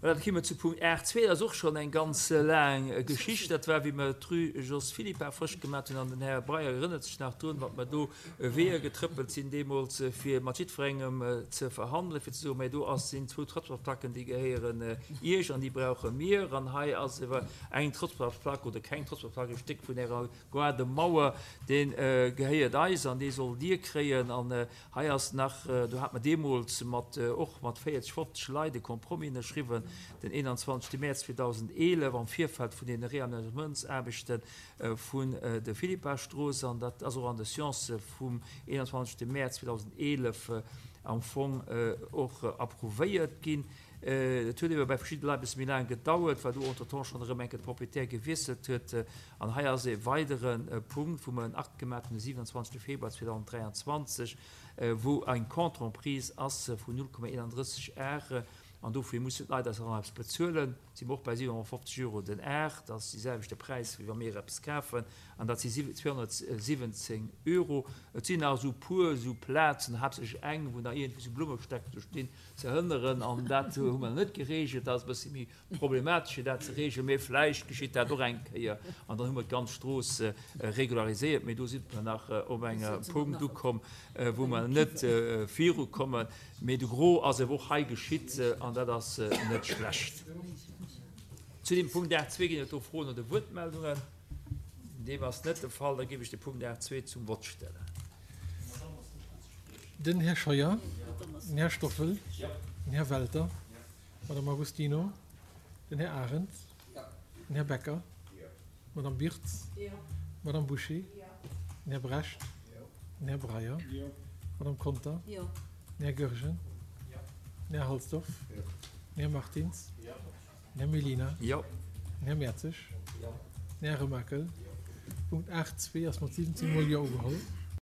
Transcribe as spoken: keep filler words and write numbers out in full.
Voilà, da komme mer zu Punkt aacht zwee. Dat ass och schonn eng ganz laang Geschicht. Dat war, wéi mer d'Rue Jos Philippart frësch gemaat hunn. An den Här Breyer erënnert sech nach drun, wat mer do Weeër getrëppelt sinn deemools, fir mat jiddwerengem ze verhandelen, fir ze soen, Mä do ass, sinn zwou Trottoirsplacken, déi gehéieren Iech an déi brauche mir. An hei ass ewer eng Trottoirsplack oder keng Trottoirsplack, e Stéck vun Ärer Gaardemauer, dee gehéiert eis an dee sollt Dir kréien. An hei ass nach, do hat mer deemools mat, och mat véierzeg, fofzeg Leit e Compromis ënnerschriwwen, den eenanzwanzegste Mäerz zweedausendeelef am Virfeld vun deene Reamenagementsaarbechte vun der Philippa-Strooss, an dat ass och an de Sciences vum eenanzwanzegste Mäerz zweedausendeelef am Fong och approuvéiert ginn. Et huet ebe bei verschidde Leit e bësse méi laang gedauert, well do entretemps schonn erëm eng Kéier de Proprietär gewiesselt huet. An hei ass e weidere Punkt, wou mer en Akt gemaach hunn de siwenanzwanzegste Februar zweedausenddräianzwanzeg, wou eng Contre-emprise ass vun null Komma eenanddrësseg Ar. An dofir mussen d'Leit eis och nach eppes bezuelen. Si mer och bei siwenhonnertfofzeg Euro den Ar. Dat ass dee selwechte Präis, wéi wa mir eppes kafen. An dat si zweehonnertsiwwenzéng Euro. Et sinn nach esou puer esou Plazen, haaptsächlech eng, wou nach iergendwéi esou Blummestäck do stinn, ze hënneren. An dat hu mer nach net geregelt. Dat ass e bësse méi problematesch, fir dat ze regelen. Mee vläicht geschitt dat och eng Kéier. An dann hu mer d'ganz Strooss regulariséiert. Mee do si mer nach op engem Punkt ukomm, wou mer net virukommen. Mee de Gros ass ewer och hei geschitt, an dat ass net schlecht. Zu dem Punkt aacht zwee ginn et do Froen oder Wuertmeldungen? Deem ass net de Fall. Da géif ech de Punkt aacht zwee zum Vott stellen. Den Här Scheuer, den Här Stoffel, den Här Welter, d'Madame Agostino, den Här Arendt, den Här Becker, d'Madame Birtz, d'Madame Bouché, den Här Brecht, den Här Breyer, d'Madame Conter, den Här Goergen, den Här Halsdorf, den Här Martins, den Här Mellina, den Här Mertzig, den Här Remakel. Punkt aacht zwee ass mat siwwenzéng Mol Jo ugeholl.